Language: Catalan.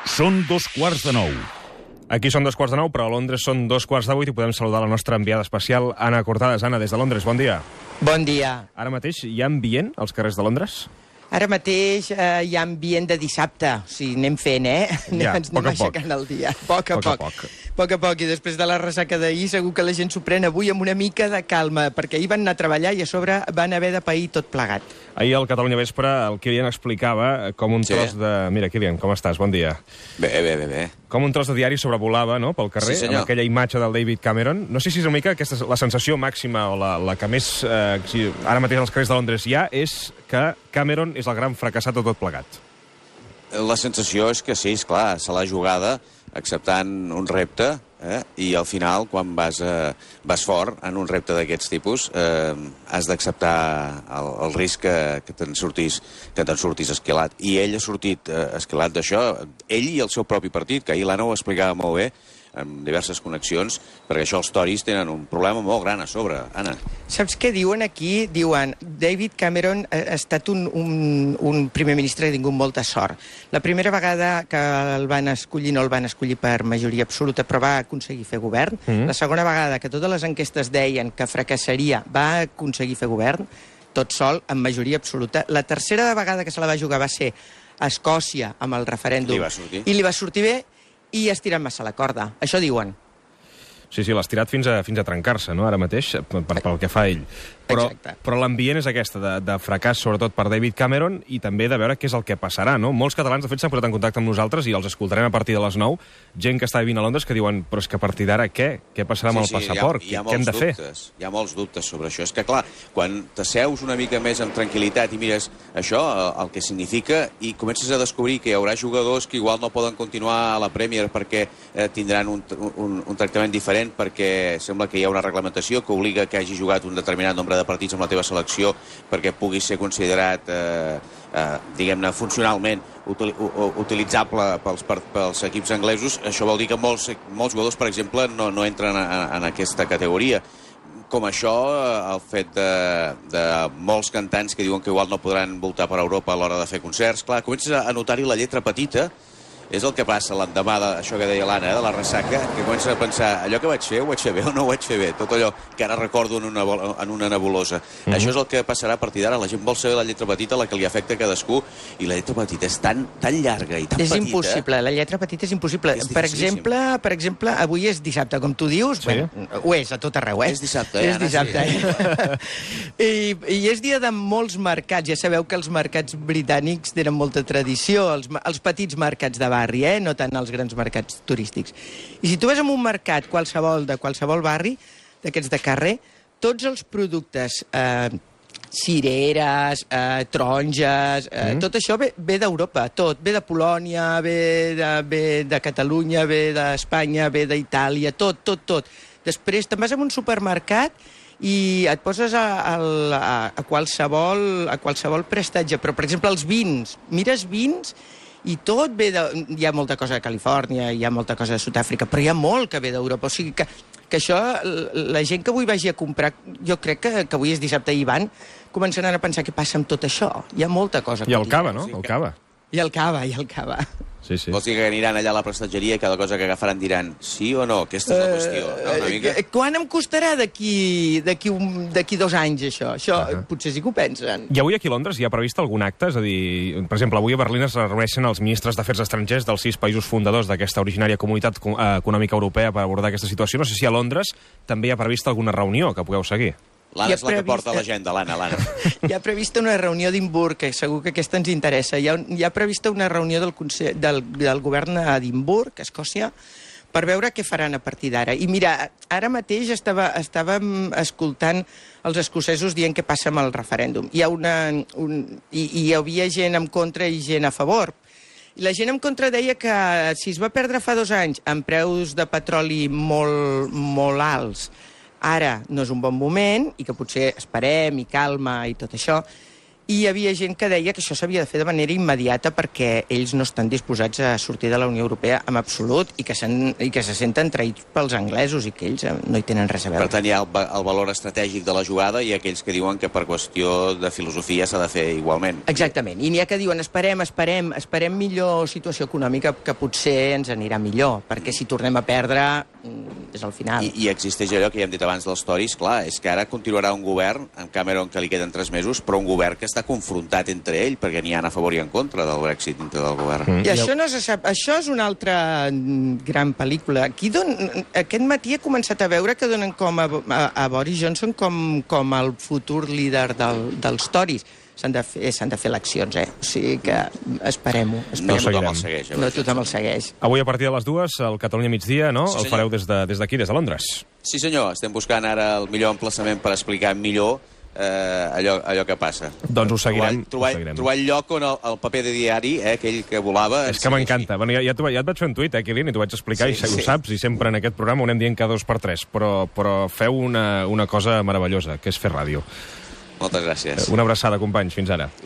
Són 2:15. Aquí són 2:15, però a Londres són 2:08 i podem saludar la nostra enviada especial, Anna Cortades. Anna, des de Londres, bon dia. Bon dia. Ara mateix hi ha ambient als carrers de Londres? Ara mateix hi ha ambient de dissabte. O sigui, anem fent, Ja, ens anem aixecant el dia. A poc a poc. I després de la ressaca d'ahir segur que la gent s'ho pren avui amb una mica de calma, perquè ahir van anar a treballar i a sobre van haver de pair tot plegat. Ahir al Catalunya Vespre el Kilian explicava com un tros de... Mira, Kilian, com estàs? Bon dia. Bé. Com un tros de diari sobrevolava, no?, pel carrer, Sí, amb aquella imatge del David Cameron. No sé si és una mica aquesta la sensació màxima o la que més ara mateix als carrers de Londres hi ha, és que Cameron és el gran fracassat de tot plegat. La sensació és que sí, esclar, se l'ha jugada acceptant un repte, i al final, quan vas fort en un repte d'aquests tipus, has d'acceptar el risc que te'n surtis esquilat. I ell ha sortit esquilat d'això, ell i el seu propi partit, que ahir l'Anna ho explicava molt bé, amb diverses connexions, perquè això els Tories tenen un problema molt gran a sobre, Anna. Saps què diuen aquí? Diuen, David Cameron ha estat un primer ministre que ha tingut molta sort. La primera vegada que el van escollir, no el van escollir per majoria absoluta, però va aconseguir fer govern. La segona vegada que totes les enquestes deien que fracassaria, va aconseguir fer govern, tot sol, amb majoria absoluta. La tercera vegada que se la va jugar va ser a Escòcia, amb el referèndum. I li va sortir bé, i has tirat massa la corda. Això diuen. Sí, l'has tirat fins a trencar-se, no?, ara mateix, pel que fa ell. Però l'ambient és aquesta, de fracàs, sobretot per David Cameron, i també de veure què és el que passarà, no? Molts catalans, de fet, s'han posat en contacte amb nosaltres i els escoltarem a partir de les 9, gent que està vivint a Londres que diuen, però és que a partir d'ara què? Què passarà amb el passaport? Què hem de fer? Hi ha molts dubtes sobre això. És que, clar, quan t'asseus una mica més amb tranquil·litat i mires això, el que significa, i comences a descobrir que hi haurà jugadors que igual no poden continuar a la Premier perquè tindran un tractament diferent, perquè sembla que hi ha una reglamentació que obliga que hagi jugat un determinat nombre de partits amb la teva selecció perquè pugui ser considerat, diguem-ne, funcionalment utilitzable pels equips anglesos. Això vol dir que molts jugadors, per exemple, no entren en aquesta categoria. Com això, el fet de molts cantants que diuen que igual no podran voltar per Europa a l'hora de fer concerts. Clar, comences a notar-hi la lletra petita. És el que passa l'endemà d'això que deia l'Anna, de la ressaca, que comences a pensar, allò que vaig fer, ho vaig fer bé o no ho vaig fer bé? Tot allò que ara recordo en una nebulosa. Això és el que passarà a partir d'ara. La gent vol saber la lletra petita, la que li afecta a cadascú, i la lletra petita és tan llarga i tan petita. És impossible, la lletra petita és impossible. Per exemple, avui és dissabte, com tu dius, ho és a tot arreu, És dissabte, És dissabte, I és dia de molts mercats. Ja sabeu que els mercats britànics tenen molta tradició, els petits mercats de barri, no tant els grans mercats turístics. I si tu vas a un mercat de qualsevol barri, d'aquests de carrer, tots els productes, cireres, taronges, tot això ve d'Europa, tot. Ve de Polònia, ve de Catalunya, ve d'Espanya, ve d'Itàlia, tot. Després te'n vas a un supermercat i et poses a qualsevol prestatge. Però, per exemple, els vins. Mires vins i tot ve de... Hi ha molta cosa de Califòrnia, hi ha molta cosa de Sud-àfrica, però hi ha molt que ve d'Europa. O sigui que això, la gent que avui vagi a comprar, jo crec que avui és dissabte i van, començaran a pensar què passa amb tot això. Hi ha molta cosa. I el cava, no? El cava. I el cava. Sí. Vols dir que aniran allà a la prestatgeria i cada cosa que agafaran diran sí o no? Aquesta és la qüestió, no? Una mica? Quan em costarà d'aquí 2 anys, això? Això potser sí que ho pensen. I avui aquí a Londres hi ha previst algun acte? És a dir, per exemple, avui a Berlín es reuneixen els ministres d'Afers Estrangers dels 6 països fundadors d'aquesta originària comunitat econòmica europea per abordar aquesta situació. No sé si a Londres també hi ha previst alguna reunió que pugueu seguir. L'Anna és la que porta l'agenda, l'Anna. Hi ha prevista una reunió d'Edimburg, que segur que aquesta ens interessa. Hi ha prevista una reunió del govern a Edimburg, a Escòcia, per veure què faran a partir d'ara. I mira, ara mateix estàvem escoltant els escocesos dient què passa amb el referèndum. Hi havia gent en contra i gent a favor. I la gent en contra deia que si es va perdre fa 2 anys amb preus de petroli molt alts, ara no és un bon moment i que potser esperem i calma i tot això. I hi havia gent que deia que això s'havia de fer de manera immediata perquè ells no estan disposats a sortir de la Unió Europea en absolut i que se senten traïts pels anglesos i que ells no hi tenen res a veure. Per tant, hi ha el valor estratègic de la jugada i aquells que diuen que per qüestió de filosofia s'ha de fer igualment. Exactament. I n'hi ha que diuen esperem millor situació econòmica, que potser ens anirà millor, perquè si tornem a perdre és al final. I existeix allò que ja hem dit abans dels Tories, clar, és que ara continuarà un govern, amb Cameron que li queden 3 mesos, però un govern que està confrontat entre ell, perquè n'hi ha a favor i en contra del Brexit dintre del govern. I això no se sap. Això és una altra gran pel·lícula. Aquest matí he començat a veure que donen com a Boris Johnson com el futur líder dels Tories. S'han de fer eleccions, O sigui que esperem-ho. No tothom el segueix. No tothom el segueix. Avui a partir de les 2, al Catalunya migdia, no? Sí, el fareu des d'aquí, des de Londres. Sí, senyor. Estem buscant ara el millor emplaçament per explicar millor allò que passa. Doncs ho seguirem. Trobar el lloc on el paper de diari, aquell que volava... És que m'encanta. Bueno, ja et vaig fer un tuit, Quilin, i t'ho vaig explicar, i ho saps, i sempre en aquest programa ho anem dient cada 2 per 3, però feu una cosa meravellosa, que és fer ràdio. Moltes gràcies. Una abraçada, companys. Fins ara.